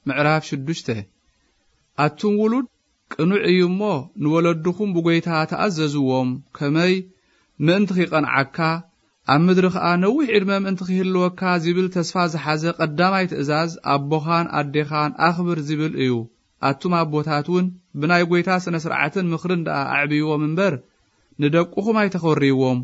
ምዕራፍ ሽዱሽተ። ኣቱም ውሉድ፣ ቅኑዕ እዩ እሞ፣ ንወለድኹም ብጎይታ ተኣዘዝዎም፣ ከመይ ምእንቲ ኺቐንዓካ፣ ኣብ ምድሪ ኸኣ ነዊሕ ዕድመ ምእንቲ ኺህልወካ ዚብል ተስፋ ዝሓዘ ቀዳማይ ትእዛዝ፣ ኣቦኻን ኣዴኻን ኣኽብር ዚብል እዩ። ኣቱም ኣቦታት እውን፣ ብናይ ጐይታ ስነ ስርዓትን ምኽርን ደኣ ኣዕብይዎም እምበር፣ ንደቅኹም ኣይተኾርይዎም።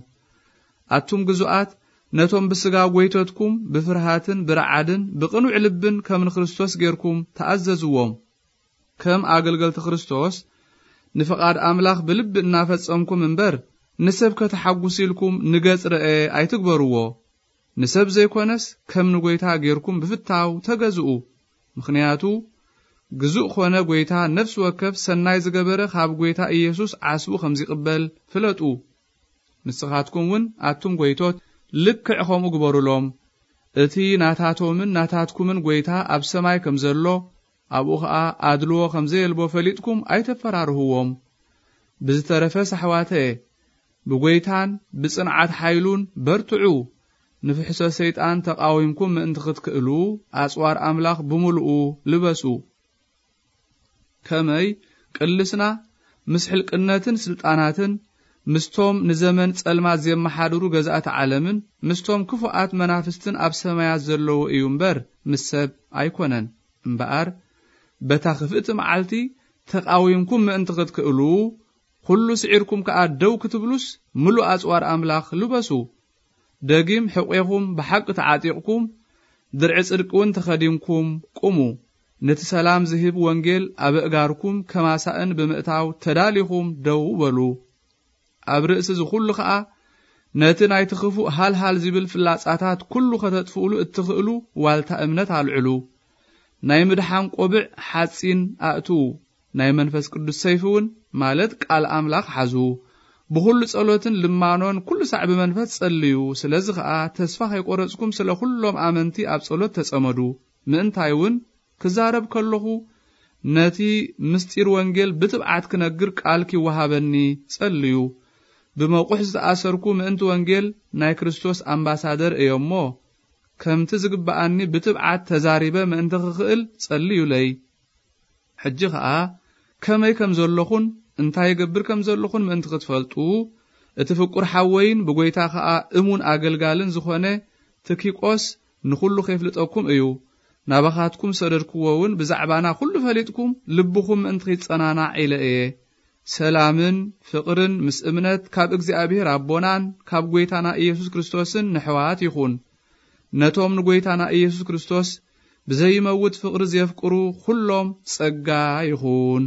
ኣቱም ግዙኣት፣ ነቶም ብስጋ ጐይቶትኩም ብፍርሃትን ብረዓድን ብቕኑዕ ልብን ከም ንክርስቶስ ጌርኩም ተኣዘዝዎም። ከም ኣገልገልቲ ክርስቶስ፣ ንፍቓድ ኣምላኽ ብልቢ እናፈጸምኩም እምበር፣ ንሰብ ከተሓጉስ ኢልኩም ንገጽ ረኤ ኣይትግበርዎ። ንሰብ ዘይኮነስ ከም ንጎይታ ጌርኩም ብፍታው ተገዝኡ። ምኽንያቱ፣ ግዙእ ኾነ ጎይታ፣ ነፍሲ ወከፍ ሰናይ ዝገበረ ካብ ጎይታ ኢየሱስ ዓስቡ ከም ዚቕበል ፍለጡ። ንስኻትኩም እውን ኣቱም ጎይቶት ልክዕ ኸምኡ ግበሩሎም። እቲ ናታቶምን ናታትኩምን ጎይታ ኣብ ሰማይ ከም ዘሎ፣ ኣብኡ ኸኣ ኣድልዎ ከም ዘየልቦ ፈሊጥኩም ኣይተፈራርህዎም። ብዝተረፈስ ኣሕዋተየ፣ ብጎይታን ብጽንዓት ሓይሉን በርትዑ። ንፍሕሶ ሰይጣን ተቓዊምኩም ምእንቲ ክትክእሉ፣ ኣጽዋር ኣምላኽ ብምሉኡ ልበሱ። ከመይ ቅልስና ምስ ሕልቅነትን ስልጣናትን፣ ምስቶም ንዘመን ጸልማት ዜመሓድሩ ገዛእቲ ዓለምን፣ ምስቶም ክፉኣት መናፍስትን ኣብ ሰማያት ዘለዉ እዩ እምበር፣ ምስ ሰብ ኣይኮነን። እምበኣር፣ በታ ክፍእቲ መዓልቲ ተቓዊምኩም ምእንቲ ክትክእሉ፣ ኵሉ ስዒርኩም ከኣ ደው ክትብሉስ፣ ምሉእ ኣጽዋር ኣምላኽ ልበሱ። ደጊም ሕቖኹም ብሓቂ ተዓጢቕኩም፣ ድርዒ ጽድቂ እውን ተኸዲንኩም ቁሙ። ነቲ ሰላም ዝህብ ወንጌል ኣብ ኣእጋርኩም ከማሳእን ብምእታው ተዳሊኹም ደው በሉ። ኣብ ርእሲ እዚ ኹሉ ኸኣ፣ ነቲ ናይቲ ክፉእ ሃልሃል ዚብል ፍላጻታት ኩሉ ኸተጥፍኡሉ እትኽእሉ ዋልታ እምነት ኣልዕሉ። ናይ ምድሓን ቆብዕ ሓጺን ኣእትዉ። ናይ መንፈስ ቅዱስ ሰይፊ እውን፣ ማለት ቃል ኣምላኽ፣ ሓዙ። ብኹሉ ጸሎትን ልማኖን ኩሉ ሳዕ ብመንፈስ ጸልዩ። ስለዚ ኸኣ ተስፋ ኸይቆረጽኩም ስለ ኩሎም ኣመንቲ ኣብ ጸሎት ተጸመዱ። ምእንታይ እውን ክዛረብ ከለኹ ነቲ ምስጢር ወንጌል ብትብዓት ክነግር ቃል ኪወሃበኒ ጸልዩ። ብመቑሕ ዝተኣሰርኩ ምእንቲ ወንጌል ናይ ክርስቶስ ኣምባሳደር እየ እሞ፣ ከምቲ ዝግብኣኒ ብትብዓት ተዛሪበ ምእንቲ ክኽእል ጸልዩለይ። ሕጂ ኸኣ ከመይ ከም ዘለኹን እንታይ እገብር ከም ዘለኹን ምእንቲ ክትፈልጡ፣ እቲ ፍቁር ሓወይን ብጐይታ ኸኣ እሙን ኣገልጋልን ዝኾነ ትኪቆስ ንኹሉ ኼፍልጠኩም እዩ። ናባኻትኩም ሰደድክዎ እውን ብዛዕባና ኩሉ ፈሊጥኩም ልብኹም ምእንቲ ኺጸናናዕ ኢለ እየ። ሰላምን ፍቕርን ምስ እምነት ካብ እግዚኣብሔር ኣቦናን ካብ ጐይታና ኢየሱስ ክርስቶስን ንሕዋት ይኹን። ነቶም ንጐይታና ኢየሱስ ክርስቶስ ብዘይመውት ፍቕሪ ዜፍቅሩ ኩሎም ጸጋ ይኹን።